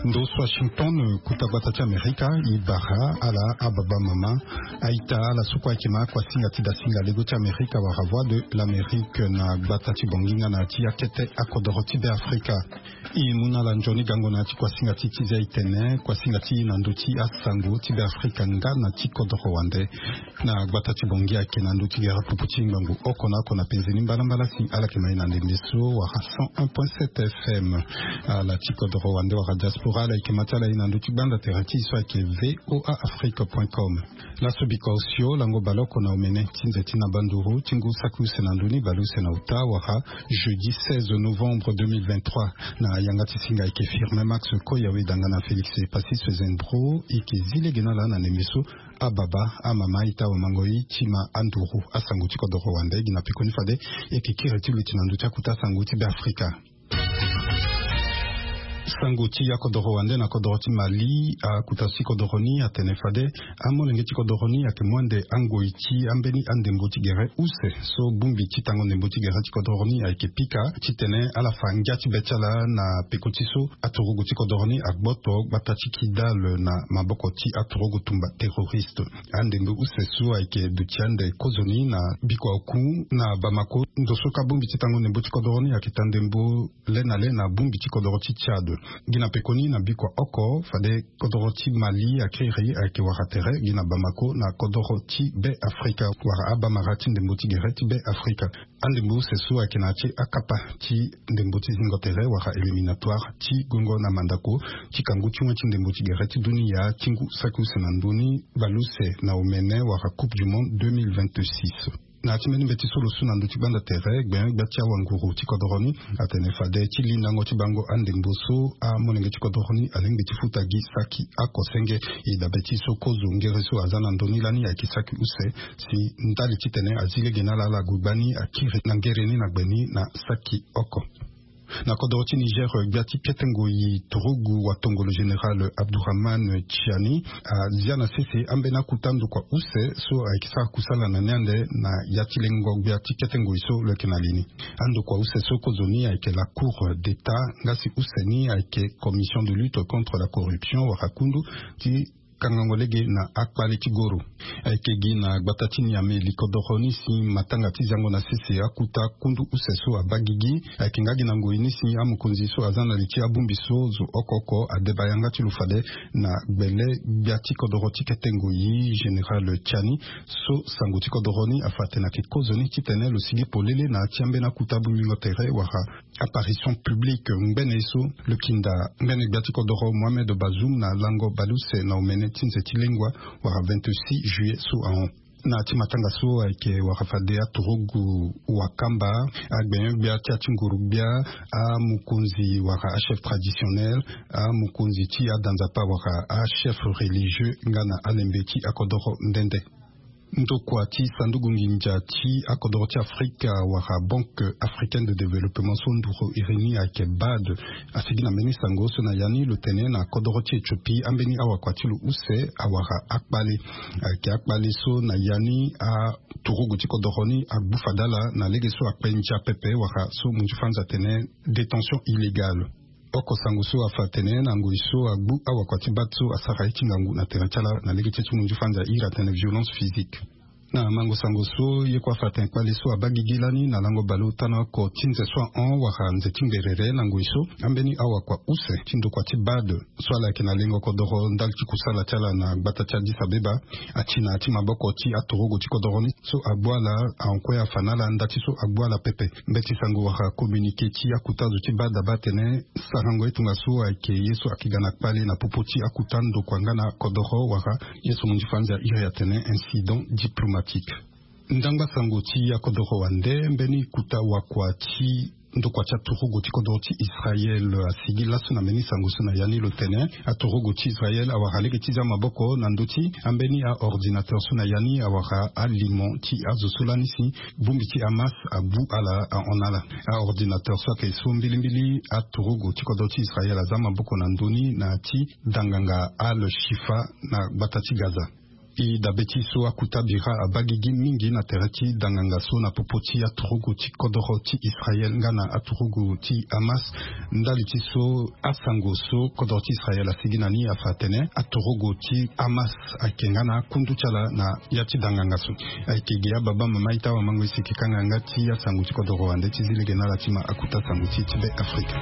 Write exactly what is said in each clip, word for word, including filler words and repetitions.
Ndo so Washington, kuta gbata ti Amerika, e bara ala ababa mama, a-ita, ala so kue ayeke ma kuasinga ti dasinga lego ti Amerika wala Voix de l'Amérique na gbata ti Bangui nga na ti akete akodoro ti Be Afrika. E mu na ala nzoni gango na ya ti kuasinga ti ti zia e tene, kuasinga ti e na ndö ti asango ti Be Afrika nga na ti kodoro wande. Na gbata ti Bangui ayeke na ndö ti gere pupu ti ngbangbo oko na oko na penze ni mbalambala si ala yeke ma e na ndembe so wala cent un point sept F M. Ala ti kodoro wande wala diaspora, ala yeke ma ti ala e na ndö ti gbanda tere ti e so ayeke V O A Afrique point com. Laso bikua osio lango baleoko na omene ti nze ti na banduru ti ngu saki use na ndoni baleuse na uta wala jeudi seize novembre deux mille vingt-trois. Na yanga ti singa ayeke Firmin Max Koyawe danga na Félix Epassis Zembro, e yeke zi lege na ala na ndembe so. Ababa, amama, a-ita, awamango, e ti ma anduru asango ti kodoro wande. Gi na pekoni fade e yeke kiri ti luti na ndö ti akuta asango ti Be Afrika. Sango ti akodoro wande na kodoro ti Mali, akuta ti kodoro ni atene fade amolenge ti kodoro ni ayeke mu ande angoi ti ambeni andembo ti gere use so bongbi ti tango ndembo ti gere ti kodoro ni ayeke pika titene ala fa ngia ti be ti ala na peko ti so aturugu ti kodoro ni agboto gbata ti Kidal na maboko ti aturugu tumba terroriste. Andembo use so ayeke duti ande kozoni na bikua oku na Bamako, ndo so ka bongbi ti tango ndembo ti kodoro ni ayeke ta ndembo le na le na bongbi ti kodoro ti Tchad. Gi na pekoni na bikua oko fade kodoro ti Mali akiri ayeke wara tere gi na Bamako na kodoro ti Be Afrika wala abamara ti ndembo ti gere ti Be Afrika. Andembo use so ayeke na ya ti akapa ti ndembo ti zingo tere wala éliminatoire ti gongo na mandako ti kangu ti wen ti ndembo ti gere ti dunia ti ngu saki use na ndoni baleuse na omene wala Coupe du Monde deux mille vingt-six. Na ya ti mbeni mbeti so lo su na ndö ti gbanda tere, gbenyo-gbia ti awanguru ti kodoro ni atene fade ti lindango ti bango andembo so amolenge ti kodoro ni alingbi ti futa gi saki oko senge. E dabe ti so kozo ngere so aza na ndö ni lani ayeke saki use, si ndali titene azi lege na ala ala gue gbani akiri na ngere ni na gbe ni na saki oko. Na kodoro ti Niger, gbia ti kete ngoi turugu watongolo général Abdourahmane Tchiani azia na sese ambeni akuta ndokua use so ayeke sara kusala na ni ande na ya ti lengo gbia ti kete ngoi so lo yeke na li ni. Andokua use so kozoni ayeke la Cour d'État, nga si use ni ayeke Commission de lutte contre la corruption wala kundu ti kangango lege na akpale ti goro. Ayeke gi na gbata ti Niamey likodoro ni si matanga ti zango na sese akuta kundu use so abaa gigi. Ayeke nga gi na ngoi ni si amokonzi so aza na li ti abongbi so zo oko oko adeba yanga ti lo fade na gbele gbia ti kodoro ti kete ngoi général Tchiani so sango ti kodoro ni afa atene ayeke kozoni titene lo sigi polele na ya ti ambeni akuta bongbingo tere wala apparition publique ngbene ye so lo kinda ngbene gbia ti kodoro Mohamed Bazoum na lango baleuse na omene ti nze ti lengua wala vingt-six juillet so ahon. Na ya ti matanga so ayeke wara fade aturugu wakamba, agbenyo-gbia ti ya ti nguru-gbia, amokonzi wala achef traditionnel, amokonzi ti adanzapa wala achef religieux nga na alembe ti akodoro nde nde. Ndokua ti sanduku nginza ti akodoro ti Afrika wala Banque Africaine de Développement so nduru iri ni ayeke BAD asigi na mbeni sango so na ya ni lo tene na kodoro ti Éthiopie ambeni awakua ti lo use awara akpale. Ayeke akpale so na ya ni aturugu ti kodoro ni agbu fade ala na lege so akpe ndia pepe wala so munzu fanzi atene détention illégale. Oko sango so afa atene na ngoi so agbu awakua ti BAD so asara ye ti ngangu na tere ti ala na lege ti so munzu fanzi airi atene violence physique. Na mango sango so ye kue afa atene kpale so abaa gigi lani na lango baleota na oko ti nze so ahon wala nze ti ngberere na ngoi so ambeni awakua use ti ndokua ti BAD so ala yeke na lengo kodoro ndali ti kusala ti ala na gbata ti Addis Abeba ati na ya ti maboko ti aturugu ti kodoro ni so agbu ala ahon kue afa na ala nda ti so agbu ala pepe. Mbeti sango wala communiqué ti akuta zo ti BAD abaa atene sarango ye tongaso ayeke ye so ayeke ga na kpale na popo ti akuta ndokua nga na kodoro wala ye so munzu fanzi airi atene incident diplomatique. Ndangba sango ti akodoro wande, mbeni kuta wakua ti ndokua ti aturugu ti kodoro ti Israël asigi laso na mbeni sango so na ya ni lo tene aturugu ti Israël awara lege ti zia maboko na ndö ti ambeni aordinateur so na ya ni awara alimo ti azo so lani si bongbi ti Hamas abu ala ahon na ala. Aordinateur so ayeke so mbilimbili aturugu ti kodro ti Israël aza maboko na ndö ni na ya ti danganga Al Shifa na gbata ti Gaza. E dabe ti so akuta bira abaa gigi mingi na tere ti danganga so na popo ti aturugu ti kodoro ti Israel nga na aturugu ti Hamas. Ndali ti so, asango so kodoro ti Israel asigi na ni afa atene aturugu ti Hamas ayeke nga na akundu ti ala na ya ti danganga so. Ayeke ge ababa mama ita wamango esiki kanga nga ti asango ti kodoro wande ti zi lege na ala ti ma akuta sango ti ti be Afrika.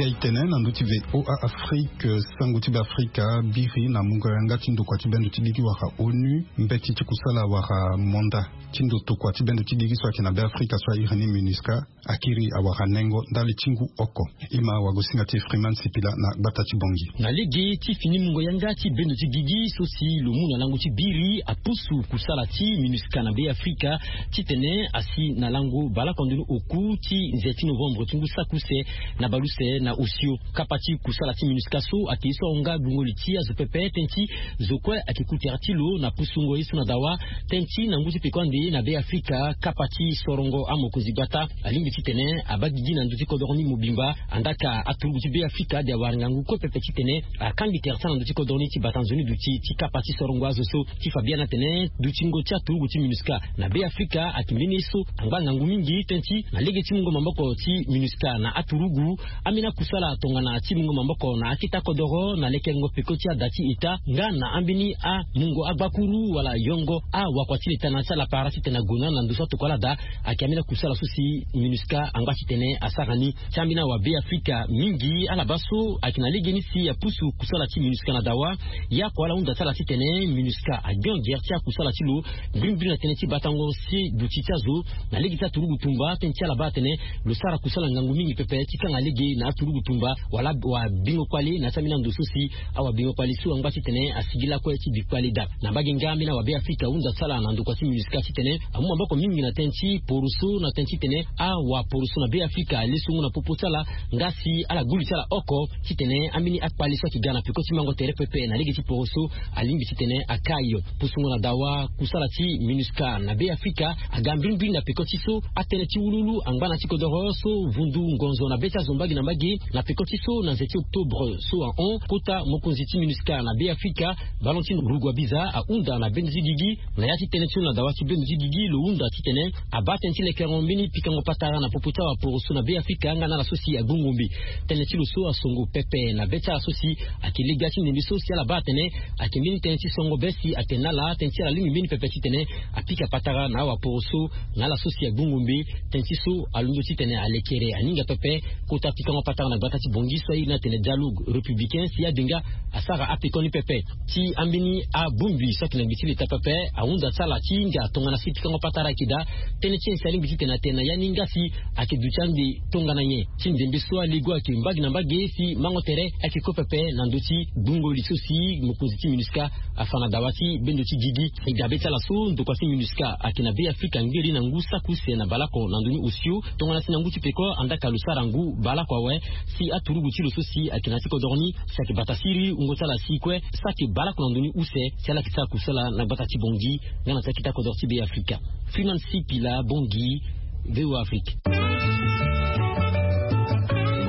Zia itene na ndö ti V O A Afrique, sango ti be Afrika abiri na mungo yanga ti ndokua ti bendo ti gigi wala ONU, mbeti ti kusala wala manda ti ndo tokua ti bendo ti gigi so ayeke na be Afrika so airi ni MINUSCA, akiri awara nengo ndali ti ngu oko. E ma wagosinga ti Freeman Sipila na gbata ti Bangui. Na lege ti fini mungo yanga ti bendo ti gigi so si lo mu na lango ti biri apusu kusala ti MINUSCA na be Afrika titene asi na lango baleoko ndoni oku ti nze ti novembre ti ngu saki use na baleuse na osio. Kapa ti kusala ti MINUSCA so ayeke ye so ahon nga gbungo li ti azo pepe tënë ti zo kue ayeke ku tere ti lo na pusungo ye so na dawa tënë ti na ngu ti peko ande na be Afrika. Kapa ti sorongo amokonzi gbata alingbi titene abaa gigi na ndö ti kodoro ni mobimba. Andaa ka aturugu ti be Afrika ade awara ngangu kue pepe titene akangbi tere ti ala na ndö ti kodoro ni ti bata nzoni duti ti kapa ti sorongo azo so. Ti fa biani atene dutingo ti aturugu ti MINUSCA na be Afrika ayeke mbeni ye so angba ngangu mingi tënë ti na lege ti mungo maboko ti MINUSCA na aturugu. Ambeni akusala tongana ti mungo maboko na akete akodoro na lekerengo peko ti ada ti eta nga na ambeni amungo agbakuru wala yongo awakua ti leta na ya ti ala para titene ague na ala na ndo so atokua ala daa. Ayeke ambeni akusala so si MINUSCA angba titene asara ni. Ti ambeni awa be Afrika mingi ala baa so ayeke na legeni si apusu kusala ti MINUSCA na dawa. Ye oko ala hunda ti ala titene MINUSCA agbion gere ti akusala ti lo mbirimbiri na tënë ti batango si duti ti azo na lege ti aturugu tumba tënë ti ala baa atene lo sara kusala ngangu mingi pepe ti kanga lege na aturugu tumba wala wabingo kpale na ya ti ambeni ando so si awabingo kpale so angba titene asigi lakue ti bi kpale daa. Na mbage nga ambeni awa be Afrika ahunda ti ala na ndokua ti MINUSCA titene amu maboko mingi na tënë ti poroso na tënë titene awaporoso na be Afrika ale songo na popo ti ala. Nga si ala gbu li ti ala oko titene ambeni akpale so ayeke ga na peko ti mango tere pepe na lege ti poroso alingbi titene akai. Pusungo na dawa kusala ti MINUSCA na be Afrika aga mbirimbiri na peko ti so atënë ti wuluwulu angba na ti kodoro so vundu ngonzo na be ti azo mbage na mbage na peko ti so na nze ti octobre so ahon kota mokonzi ti MINUSCA na be Afrika, Valentin Rugwabiza ahunda na bendo ti gigi na ya ti tënë ti lo na dawa ti bendo ti gigi lo hunda titene abaa tënë ti lekerengo mbeni pikango patara na popo ti awaporoso na be Afrika nga na ala so si agbu ngombe. Tënë ti lo so asongo pepe na be ti ala so si ayeke legia ti ndembe so si ala baa atene ayeke mbeni tënë ti songo be si atene na ala tënë ti ala lingbi mbeni pepe titene apika patara na awaporoso na ala so si agbu ngombe. Tënë ti so alondo titene alekere aninga pepe kota pikango patara na gbata ti Bangui so airi ni atene dialogue républicain si adenga asara apekoni pepe. Ti ambeni abongbi so ayeke na gbe ti leta pepe ahunda ti ala ti hinga tongana si pikango patara ayeke daa. Tënë ti nyen si alingbi titene atene na ya ni nga si ayeke duti ande tongana nyen ti ndembe so alego ayeke mbage na mbage si mango tere ayeke kue pepe na ndö ti gbungo li so si mokonzi ti MINUSCA afa na dawa ti bendo ti gigi. E ga be ti ala so ndokua ti MINUSCA ayeke na be Afrika ngeri na ngu saki use na baleoko na ndoni osio tongana si na ngu ti peko andaa ka lo sara ngu baleoko awe. Si aturugu ti lo so si ayeke na ya ti kodoro ni si ayeke bata siriri wungo ti ala si kue saki baleoko na ndoni use si ala yeke sara kusala na gbata ti Bangui nga na ti akete akodoro ti be Afrika. Freeman Sipila, Bangui, V O A Afrique.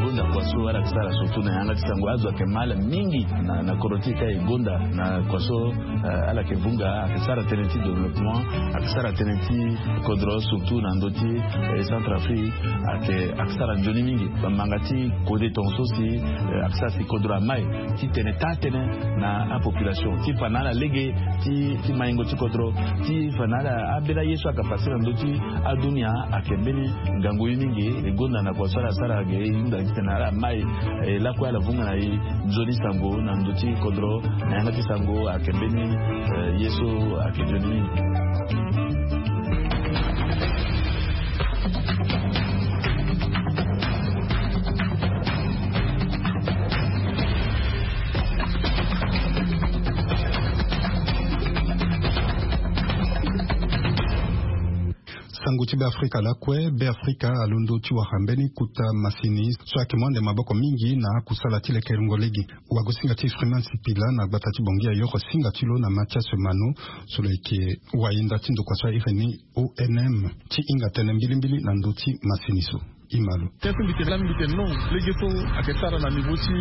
Gonda kua so ala yeke sara surtout na yanga ti sango azo ayeke mal mingi na, na kodro ti e ka e gonda na kua so, eh, ala yeke vunga ayeke sara tënë ti développement, ayeke sara tënë ti kodro surtout na ndö ti, eh, Centrafrique. Ayeke, ayeke sara nzoni mingi bamanga ti kode tongaso si, eh, ayeke sara si kodro amai titene taa tënë na apopulation ti fa na ala lege ti, ti maingo ti kodro ti fa na ala ambeni aye so ayeke pase na ndö ti adunia. Ayeke mbeni ngangu ye mingi e gonda na kua so ala sara ge e hunda titene ala mai, eh, lakue ala vunga na e nzoni sango na ndö ti kodro na yanga ti sango ayeke mbeni, eh, ye so ayeke nzoni mingi. Sango Ti Beafrika lakue, Beafrika alondo ti wara mbeni kota masini so ayeke mu ande maboko mingi na akusala ti lekerengo lege. Wagosinga ti Freeman Sipila na gbata ti Bangui ayoro singa ti lo na Mathias Mano, so lo yeke wayenda ti ndokua so ahiri ni O N M, ti hinga tënë mbilimbili na ndö ti masini so. Imalo. Tënë so mbi tene lani mbi tene non, lege so ayeke sara na niveau ti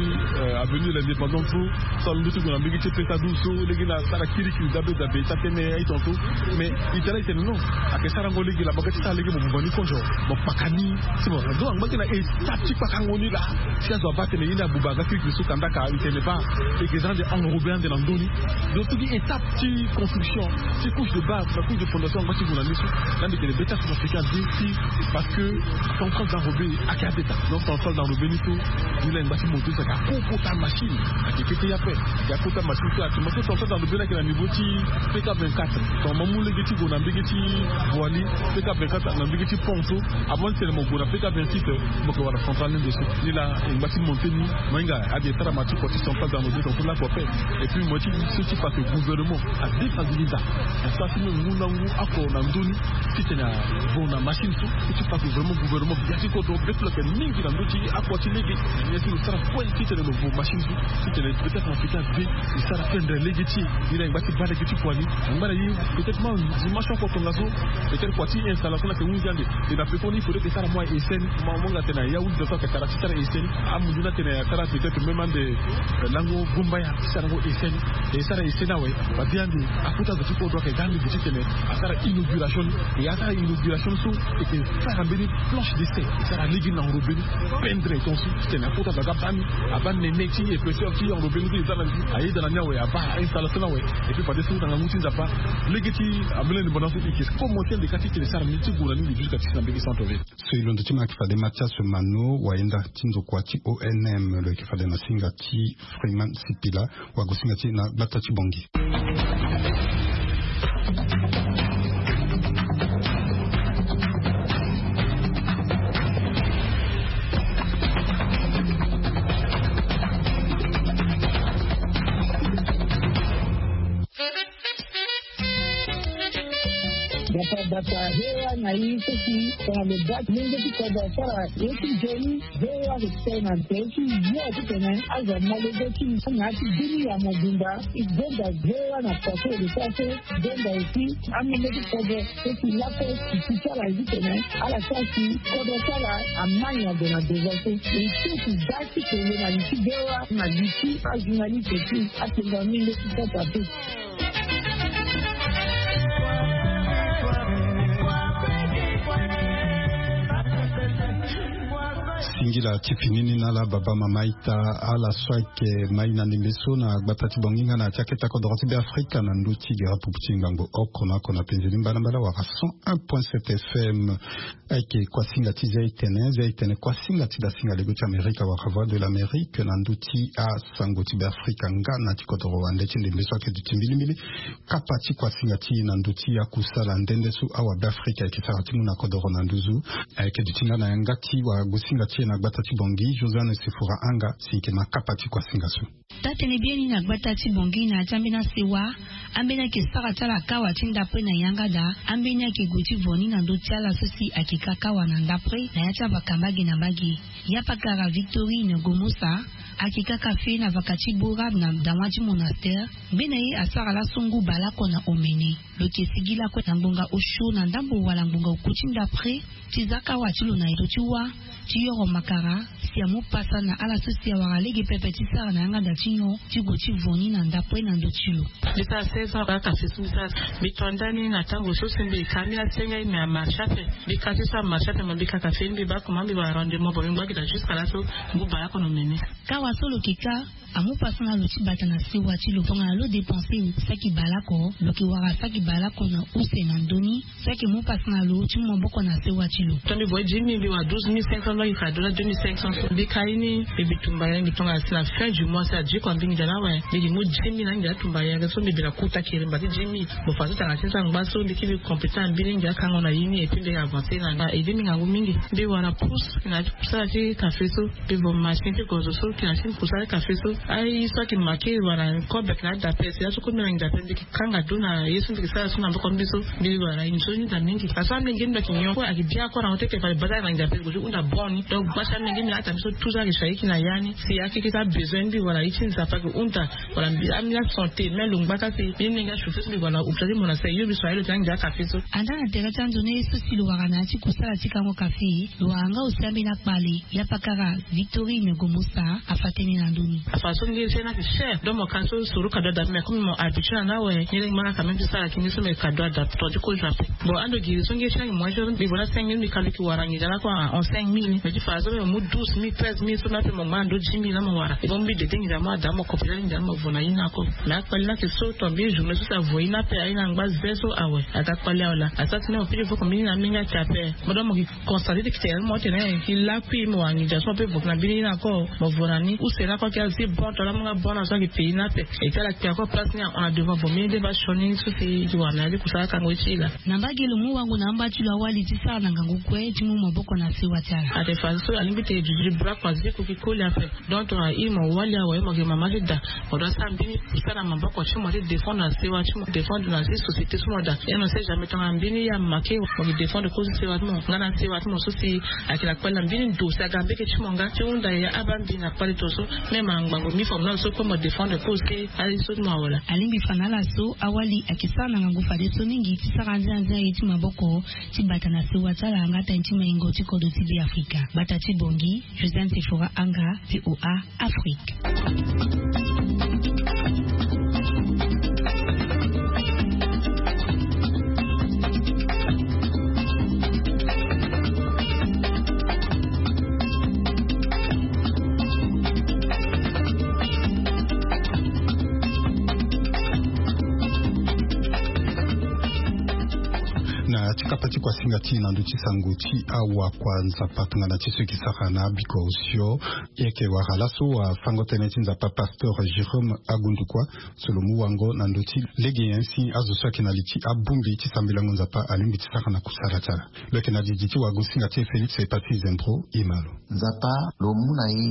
avenue de l'indépendance so, so alondo ti gue na mbege ti peta douze so, lege ni asara kirikiri dabe dabe, ita tënë aye tongaso. Mais ita la e tene non, ayeke sarango lege la, mo ga ti sara lege mo buba ni konzo, mo kpaka ni. Si mo, donc angba gi na étape ti kpakango ni la, si azo abaa atene ye ni abuba aga kirikiri so, kandaka e tene baa e yeke za ande enrobé ande na ndö ni. Donc tout gi étape ti construction, ti couche de base na couche de fondation angba ti gue na ni so. Lani mbi tene be ti acentrafricain azi ti, parce que centrale d'enrobé ayeke abeta. Donc centrale d'enrobé ni so, ni la e ngba ti monté so ayeke akokota machine. Ayeke kete ye ape. Ayeke akota machine so ayeke, ma so centrale d'enrobé ni ayeke na niveau ti P K vingt-quatre. Donc ma mu lege ti gue na mbege ti Boali, P K vingt-quatre na mbege ti pont so. Avant ti tene mo gue na P K vingt-six, mo yeke wara centrale ni ndo so. Ni la e ngba ti monté ni. Mo hinga ade e sara ma ti kua ti centrale d'enrobé tongaso lakue ape. Et puis mo ye ti so ti fa que gouvernement adéstabilisa. Asara ti même ngu na ngu oko na ndö ni, titene avo na machine so, so ti fa que vraiment gouvernement, ya ti kodro be ti lo ayeke mingi na ndö ti oko ti lege. Ni si lo sara kue titene lo vo machine so, titene peut-être na africain azi e sara pendre lege ti e. Ni la e ngba ti baa lege ti kua ni. Angba na ye peut-être ma dimension oko tongaso, peut-être kua ti installation ni ayeke hunzi ande. E na pekoni il faudrait que e sara mo essai ni. Mo hinga atene Yaoundé so ayeke tara ti sara essai ni. Amunzu ni atene asara peut-être même ande lango Gombaya ti sarango essai ni. E sara essai ni awe. Ba bi ande akota zo ti kodro ayeke ga ande gi titene asara inauguration ni. E asara inauguration ni so, e yeke sara mbeni planche d'essai, e sara lege ni na enrobé ni, pendre tongaso titene akota zo aga baa ni. Abaa nene ti épaisseur ti enrobé ni so e za na ni, ayeda na ni awe, abaa installation ni awe. Et puis fadeso na ngangu ti Nzapa, lege ti avenue de l'indépendance so e yeke komanse ande kâ titene e sara ni ti gue na ni jusqu'à ti si na mbege centre ville. So e londo ti mo ayeke fade Mathias Mano, wayenda ti ndokua ti O N M, lo yeke fade na singa ti Freeman Sipila, wagosinga ti e na gbata ti Bangui. Bata bata hewa na i seki tongana lo baa ti lenge ti kodro asara ye ti nzoni. Hewa lo tene na nze ti yo titene azo amolenge ti na ya ti bini ya mobimba. E gonda hewa na paso lo sara so. Gonda aussi amolenge ti kodro seki lape ti ti sara ye titene ala sara si kodro sara amani ado na deza so. E so ti baa ti tene na li ti hewa na li ti ajournaliste ti atenga mingi ti sasa te. Singila ti fini ni na ala baba mama ita, ala so ayeke mai na ndembe so na gbata ti Bangui nga na ti aketa kodoro ti Beafrika na ndö ti gere pupu ti ngangu oko na oko na penze ni mbalambala wala cent un point sept F M. Ayeke kuasinga ti zia itene, zia itene kuasinga ti dasinga lego ti Amerika wala Voix de l'Amérique na ndö ti asango ti Beafrika nga na ti kodoro wande ti ndembe so ayeke duti mbilimbili. Kapa ti kuasinga ti e na ndö ti akusala nde nde so awa Beafrika ayeke sara ti mu na kodoro na nduzu. Ayeke duti nga na yanga ti wagosinga ti e na gbata ti Bangui, Josiane Sefora Anga, si e yeke ma kapa ti kuasinga so. Taa-tënë biani na gbata ti Bangui na ya ti ambeni asewa, ambeni ayeke sara ti ala kawa ti ndapre na yanga daa, ambeni ayeke gue ti vo ni na ndö ti ala so si ayeke ka kawa na ndapre na ya ti avaka mbage na mbage. Yapakara Victorine Gomosa ayeke ka kafe na vaka ti Borab na dawa ti monastère. Ngbene ye asara laso ngu baleoko na omene. Lo yeke sigi lakue na ngbonga osio na ndambo wala ngbonga oku ti ndapre ti za kawa ti lo na ndo ti wâ ti yoro makara, si amu pasa na ala so si awara lege pepe ti sara na yanga daa ti nyon ti gue ti vo ni na ndapre na ndö ti lo. Mbi sara seize ans kaka si mbi sara. Mbi to ndani na tango so si mbi ka mbi asenge mbi amarche ape. Mbi ka ti so amarche ape, mo mbi ka kafe mbi baa comment mbi wara rendement, bon mbi ngba gi daa jusqu'à laso ngu baleoko na omene. Kawa so lo yeke ka amu pasa na lo ti bata na sewa ti lo tongana lo dépenser saki baleoko, lo yeke wara saki baleoko na use na ndö ni. Saki mu pasa na lo ti mu maboko na sewa ti lo. Tongana mbi voye dix mille mbi wara douze mille cinq cents. Mbi ka do na deux mille cinq cents so mbi ka ye ni, mbi bi tumba yere. Mbi tongana si na fin du mois si adiko ambingi ndia na awe, mbi gi mu dix mille na ndia tumba yere so mbi bi na kuta kiri mba ti dix mille. Mo fa so tanga ti sangba so mbi ki mbi compétent ambingi ndia kango na ye ni, et puis mbi avancer na na aide mbi ngangu mingi. Mbi wara pousse na kusala ti café so, mbi vo machine ti gozo so kina ti kusala ti café so. Aye so aki make wara kobek na adapes ya so komi na ngia pe mbi kanga do na ye so mbi ke sara so na mboko mbi so. Mbi wara inzo ni da mingi. Aso amenge mbi aki nyon ko aki bia ko na hote ke fale bata na ngia pe ko unda boni. Donc bata amenge mbi ata mbi so tout ça ke shaiki na yani. Si aki ke sa besoin mbi wara iti nzapa ke unda. Wala mbi ami la santé mais lo ngba ka si mbi nge shufe mbi wala upsa ti mona sa yo mbi so aye lo ti angia café so. Anda na tere ti ando ni ye so si lo wara na ya ti kusala ti kango café. Lo wara nga aussi ambeni akpale ya pakara Victorine Gomosa afa tënë na ndö ni. Afa so nge ti na ke cher donc mo ka so suru kado adapte mais comme mo habitué na na awe nge lenge manga quand même ti sara ki nge so me kado adapte ton ti kozo ape. Bon ando giri so nge ti na ke moyen so mbi vo na cinq mille mbi kalo ki wara nge dala kua en cinq mille mais ti fa so me mu douze mille treize mille so me ape mo ngba na ndö dix mille na mo wara. Bon mbi dede nge dala mo ada mo kopita nge dala mo vo na ye na ko. Mais akpale na ke so ton mbi journée so si avo ye na ape aye na ngba ze so awe aga kpale awe la asa ti na mo pili vo ko mbi ni na mingi ake ape. Mo da mo ki constate ti kite mo tene ki lakui mo wangi ja so mo pe vo na mbini na ko. Mo vo na ni use na ko ki azi bon to la mo nga bon na so ki pays na pe. Et ala kpe ako place ni en devant vo mbini de ba sioni so si ti wara na li kusala kango ti la. Na mbage lo mu wango na amba ti lo awali ti sara na ngangu kue ti mu maboko na sewa ti ala. Ate fa so alingbi te duti bra kua zi ko ki koli ape. Donc tongana i mo wali awe mo ke mama ti da. Mo doit sara mbini pour sara na maboko ti mo ti défendre na sewa ti mo défendre na si société ti mo da. Et on sait jamais tongana mbini ya make mo ke défendre kozo sewa ti mo nga na sewa ti mo so si ayeke na kpale na mbini ndo si aga mbeke ti mo nga ti hunda ya aba mbini na kpale to so. Même angbango mi fo mo na lo so kue mo défendre kozo si aye so ti mo awe la. Alingbi fa na ala so awali ayeke sara na ngangu fadeso mingi ti sara anzia anzia ye ti maboko ti bata na sewa ti ala nga tani ti maingo ti kodro ti beafrika. Bata ti bongi Josiane Sephora Anga, VOA Afrique. Na ti kapa ti kuasinga ti na ndö ti sango ti awa kua nzapa tongana ti so eke sara na abiko osio. Eke wara laso afango tënë ti nzapa pasteur Jérôme Agundukua so lo mu wango na ndö ti lege nyen si azo so ayeke na li ti abongbi ti sambelango nzapa alingbi ti sara na kusala ti ala. Lo yeke na didi ti wagosinga ti e Félix Epati Zembro. Imalo. Nzapa lo mu na e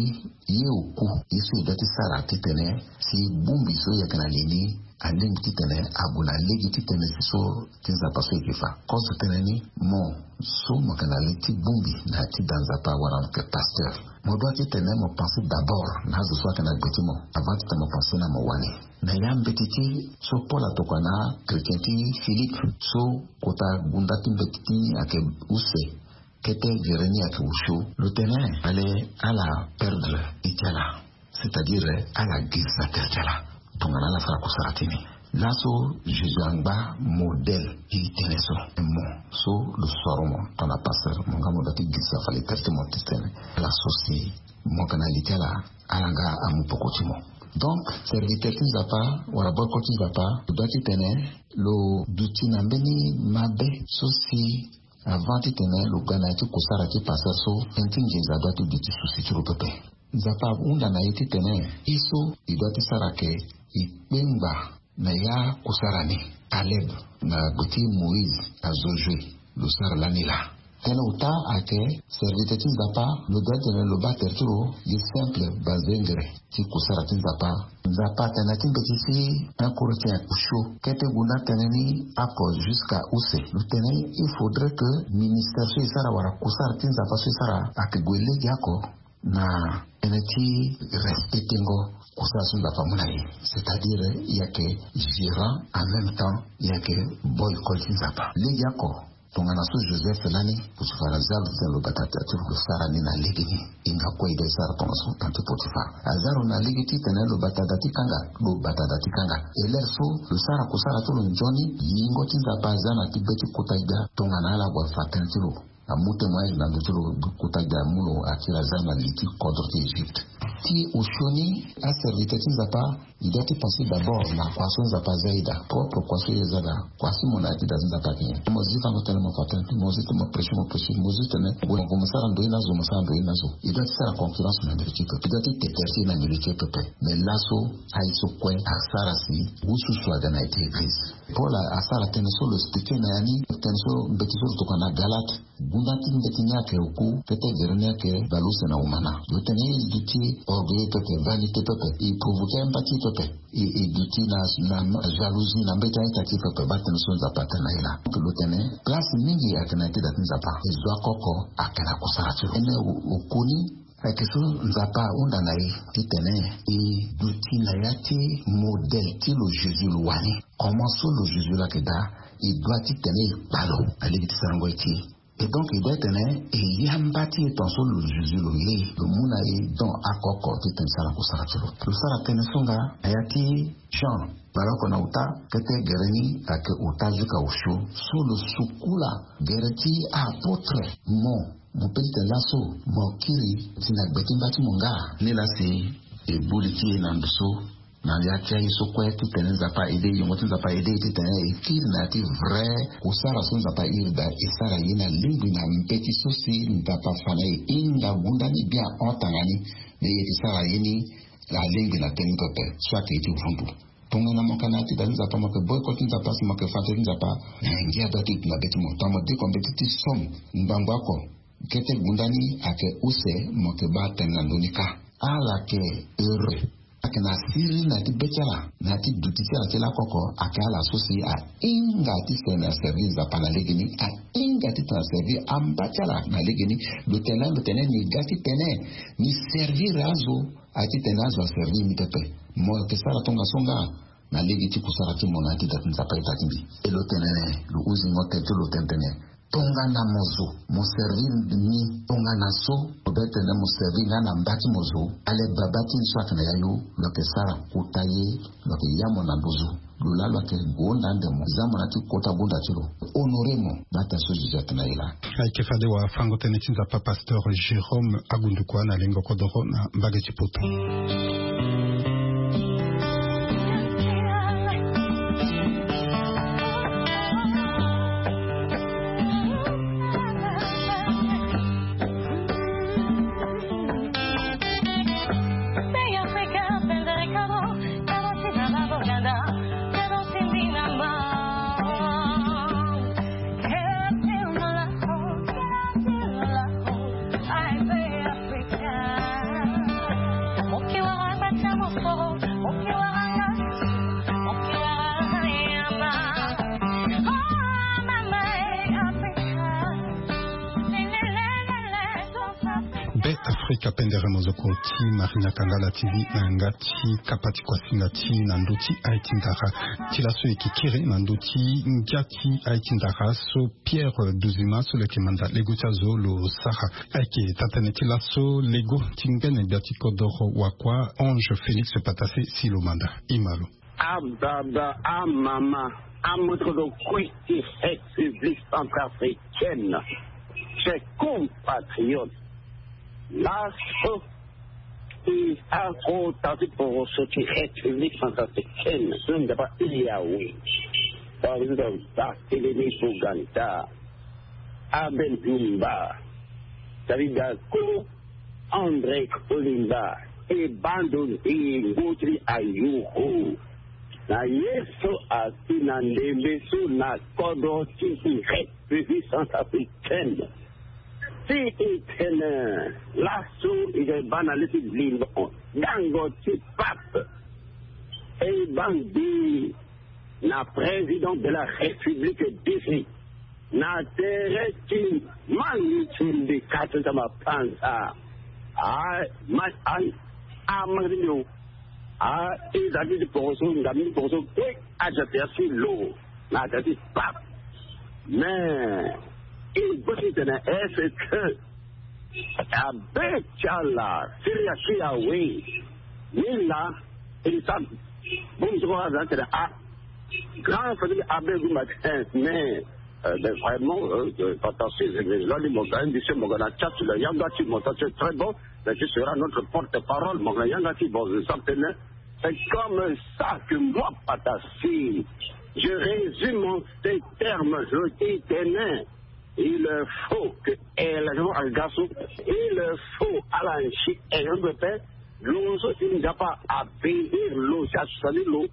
ye oku ye so e doit ti sara titene si bongbi so e yeke na li ni alingbi titene ague na lege ti tënë si so ti nzapa so e yeke fa. Kozo tënë ni mo so mo yeke na li ti bongbi na ya ti da nzapa wala mo yeke pasteur. Mo doit titene mo pense d'abord na azo so ayeke na gbe ti mo avant titene mo pense na mo wani. Na ya mbeti ti so Paul atokua na chrétien ti Philippe so kota gunda ti mbeti ti ni ayeke use. Kete gere ni ayeke osio lo tene fale ala perdre iti ala. C'est-à-dire ala girisa tere ti ala tongana ala sara kusara ti ni. Laso Jésus angba modèle ti tënë so. Mo so lo soro mo tongana pasteur mo nga mo doit ti girisa fale tere ti mo ti tene ala so si mo yeke na li ti ala. Ala nga amu poko ti mo. Donc serviteur ti nzapa wala boko ti nzapa lo doit ti tene lo duti na mbeni mabe so si avant titene lo ga na ya ti kusara ti pasteur so tënë ti nginza doit ti duti susi ti lo pepe. Nzapa ahunda na e titene e so e doit ti sara ke e kpengba na ya kusara ni. Caleb na gbe ti Moïse azo Josué lo sara lani laa. Tënë ota ayeke serviteur ti nzapa lo doit titene lo baa tere ti lo gi simple bazengere ti kusara ti nzapa. Nzapa atene na ti mbeti ti un Corinthien osio kete gunda tënë ni oko jusqu'à use lo tene il faudrait que ministère so e sara wala kusara ti nzapa so e sara ayeke gue lege oko na tënë ti respectengo kusala so nzapa amu na e. C'est-à-dire e yeke gérant en même temps e yeke boy école ti nzapa lege oko. Tongana so Joseph lani Potifar aza lo tene lo bata tere ti lo lo sara ni na lege ni. E hinga kue e ga e sara tongana so tene ti Potifar aza lo na lege titene lo bata da ti kanga lo bata da ti kanga. E lere so lo sara kusara ti lo nzoni yingo ti nzapa aza na ti be ti kota gbia tongana ala gue afa tënë ti lo. amu témoignage na ndö ti lo. Kota gi amu lo akiri aza na li ti kodro ti Egypte. Ti osio ni, aserviteur ti Nzapa, i doit ti penser d'abord na kua so Nzapa aza ida, propre kua so ye aza daa. Kua si mo na ya ti da ti Nzapa ayeke nyen? Mo zi fango tënë mo fa tënë, mo zi ti mo prêcher mo prêcher, mo zi tene mo sara ndoye na zo, mo sara ndoye na zo. I doit ti sara concurrence na ndö ti peuple, i doit ti te tertier na ndö ti peuple. Mais laso aye so kue asara si ususu aga na ya ti église. Paul asara tënë so lo expliquer na ya ni, tënë so mbeti so lo tokua na Galate. Gunda ti mbeti ni ayeke oku, kete gere ni ayeke baleuse na umana. Lo tene e duti orgueilleux pepe, vanité pepe, e provoquer amba ti e pepe, e duti na jalousie na mbeti a-ita ti e pepe. Baa tënë so Nzapa atene na e laa. Lo tene place mingi ayeke na ya ti da ti Nzapa, e zo akoko ayeke na kusara ti lo. Tënë oku ni ayeke so Nzapa ahunda na e titene e duti na ya ti modèle ti lo Jésus lo wani. Comment so lo Jésus lo ayeke daa, e doit titene e kpa lo na lege ti sarango ye ti e. Et donc e doit titene e yamba ti e tongaso lo Jésus lo ye, lo mu na e don akoko titene e sara kusara ti lo. Lo sara tënë so nga na ya ti Jean, baleoko na uta, kete gere ni ayeke uta jusqu'à osio. So lo sukula gere ti apotre, mo mo pe titene laso mo kiri si na gbe ti mba ti mo nga? Ni laa si e bu li ti e na ndo so, na ya ti aye so kue titene Nzapa aide e, yongo ti Nzapa aide e titene e kiri na ya ti vrai kusara so Nzapa airi daa, e sara ye na lingbi na mbeti so si Nzapa afa na e. Hinga gunda ni bien, hon tanga ni. Me e yeke sara ye ni na lingbi na tënë ni pepe so ayeke ye ti vundu. Tongana mo yeke na ya ti da ti Nzapa, mo yeke boycott ti Nzapa si mo yeke fa tënë ti Nzapa, na ngia doit ti duti na be ti mo. Tongana mo deko mbeti ti somme ngbangbo oko, kete gunda ni ayeke use, mo yeke baa tënë na ndö ni kâ. Ala ayeke heureux. Ayeke na siriri na ya ti be ti ala, na ya ti duti ti ala ti lakoko, ayeke ala so si ahinga titene aservi Nzapa na legeni, ahinga titene aservi amba ti ala na legeni. Lo tene, lo tene ni ga titene ni servir azo, aye titene azo aservi ni pepe. Mo yeke sara tongaso nga na lege ti kusara ti mo na ya ti da ti Nzapa aye da ti mbi. E lo tene, lo huzingo tene ti lo tene tene, tongana mo zo mo servir ni, tongana so mo be tene mo servir nga na mba ti mo zo, ale baba ti ni so ayeke na yayu, lo yeke sara kota ye, lo yeke ya mo na nduzu. Lo laa lo yeke gonda ande mo, za mo na ya ti kota gonda ti lo, honorer mo. Baa tënë so Jésus atene na e laa. Ayeke fade wafango-tënë ti Nzapa pasteur Jérôme Agundukua na lengo kodoro na mbage ti Poto. Be Afrika pendere mozoko ti Marina Kangala T V na yanga ti kapa ti kuasinga ti na ndö ti aye ti ndara. Ti laso e yeke kiri na ndö ti ngia ti aye ti ndara so Pierre Duzima so lo yeke manda lego ti azo lo sara. Ayeke taa-tënë ti laso lego ti ngbene gbia ti kodoro wakua Ange Félix Patassé si lo manda. E ma lo. Ababa, amama, amoto kue ti République centrafricaine, chers compatriotes, laso e akota ti poroso ti République centrafricaine so Nzapa airi awe. Président Barthélemy Boganda, Abel Dumba, David Dacko, André Kolimba, e bando ndengo ti ayoro na ye so asi na ndembe so na kodro ti République centrafricaine. Si e tene laso e ga e baa na le ti limbo gango ti pape, e baa ngbene na président de la République défait na tere ti mani ti mbi kâ ti nzama panza. A ma a a ma ti mbi o. A e za ti ti poroso nga mbi ti poroso kue aja ti asi lo na aja ti pape. Mais e gbo ti tene est-ce que abe ti ala siri asi awe? Ni laa e sa bongbi so kue aza tene a grand famille abe gumba ti. Mais Mais vraiment, euh, euh, Patasi, je vais, je vais, mon gars, monsieur, mon gars, na chat, le yanga, tu m'entends, c'est très bon, mais tu seras notre porte-parole, mon gars, yanga, tu, bon, je sens que, c'est comme ça que moi, Patasi, je résume en ces termes, je dis, tenez, il faut que, eh, la, je vois un garçon, il faut à la, eh, je me fais, lo so ti nzapa abénir lo, si asali lo,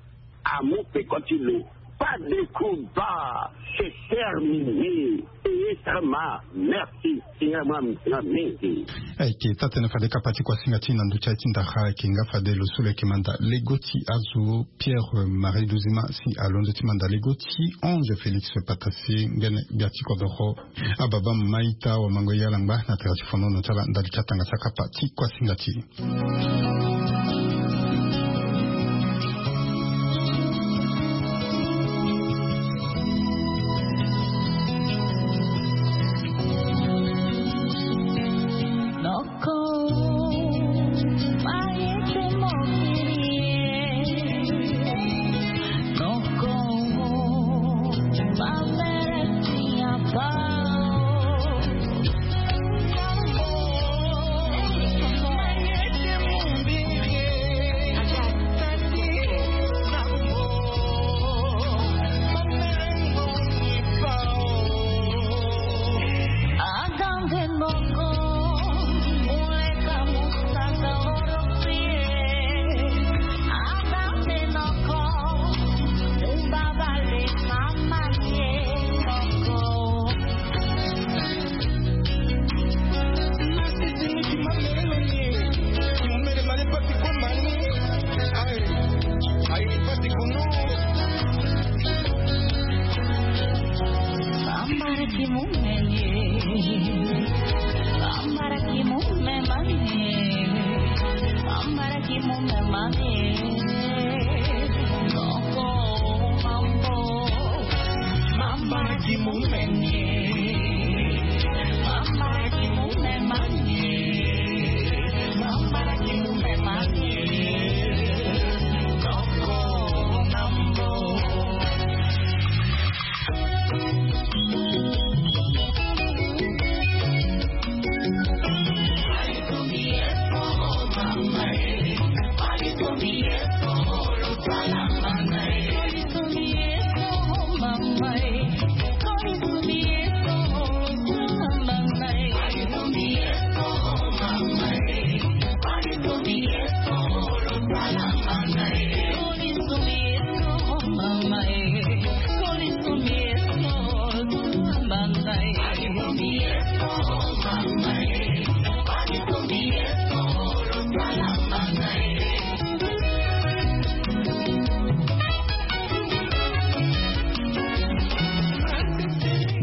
amu peko ti lo. Pas de combat, c'est terminé. Eyetama, merci. Singa ma, singa mingi. Ayeke taa-tënë fade kapa ti kuasinga ti na ndö ti aye ti ndara ayeke nga fade lo so lo yeke manda lego ti azo Pierre Marie Luzima si alondo ti manda lego ti Ange Félix Patasi ngbene gbia ti kodoro. Ababa mama ita wamango ye alangba na tere ti fonono ti ala ndali ti atanga ti akapa ti kuasinga ti e.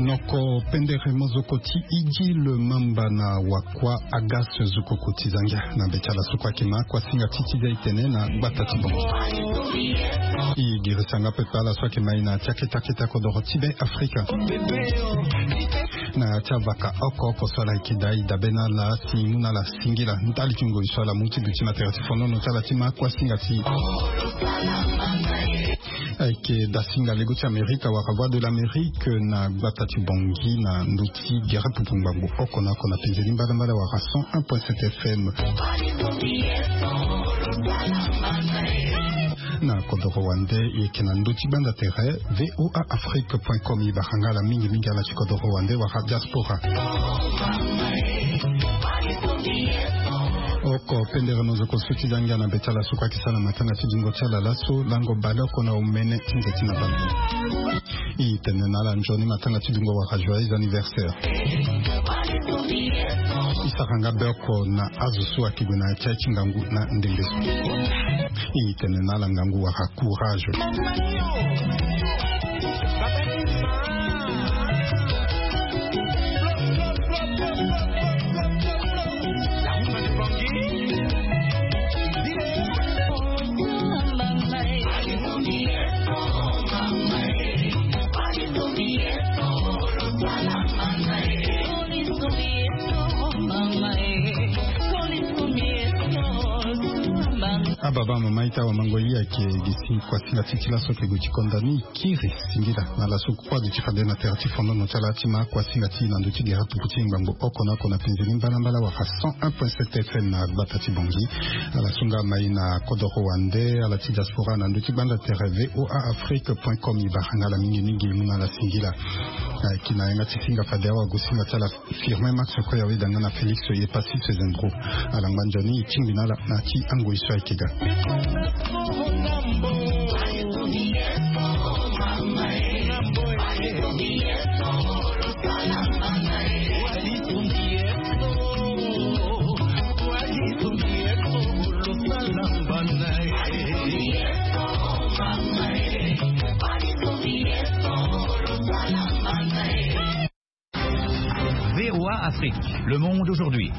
Noko pendere mozoko ti Idjil Mamba na wakua Agas Zukoko ti Zangia na be ti ala so kue ayeke ma kuasinga ti ti zia e tene na gbata ti Bongi. E girisa nga pepe ala so ayeke ma e na ti akete akete kodoro ti Be Afrika. Na ya ti avaka oko oko so ala yeke daa e dabe na ala si e mu na ala singila ndali ti ngoi so ala mu ti duti na tere ti fonono ti ala ti ma kuasinga ti e. Ayeke dasinga lego ti Amerika wala Voix de l'Amérique na gbata ti Bongi na ndö ti gere pupu ngbangbo oko na oko na penze ni mbadambada wala cent un point sept F M. Na kodoro wande e yeke na ndö ti gbanda tere V O A Afrique point com. E bara nga ala mingi mingi ala ti kodoro wande wala diaspora. Oko pendere mozoko so ti zangia na be ti ala so kue ayeke sara na matanga ti dingo ti ala laso lango baleoko na omene ti nze ti na baleoko. E tene na ala nzoni matanga ti dungo wala joyeux anniversaire. E sara nga be oko na azo so ayeke gue na ya ti aye ti ngangu na ndembe so. E tene na ala ngangu wala courage. Baba mama ita wa mango i ake gisi kuasinga ti ti laso ke gue ti konda ni kiri singila na laso. Kuadi ti fade na tere ti fondono ti ala ti ma kuasinga ti na ndö ti gera tupu ti ngbangbo oko na oko na penze ni mbalambala wara cent un point sept F M na gbata ti bongi. Ala sunga mai na kodoro wande ala ti diaspora na ndö ti gbanda tere voa afrique point com. I baranga ala mingi mingi mu na ala singila. Ki na yanga ti singa fade awa gue singa ti ala firme max koya weda nga na félix ye pasi tezendro. Ala ngba nzoni e tingbi na ala na ti angoi so ayeke ga. V O A Afrique, le monde aujourd'hui.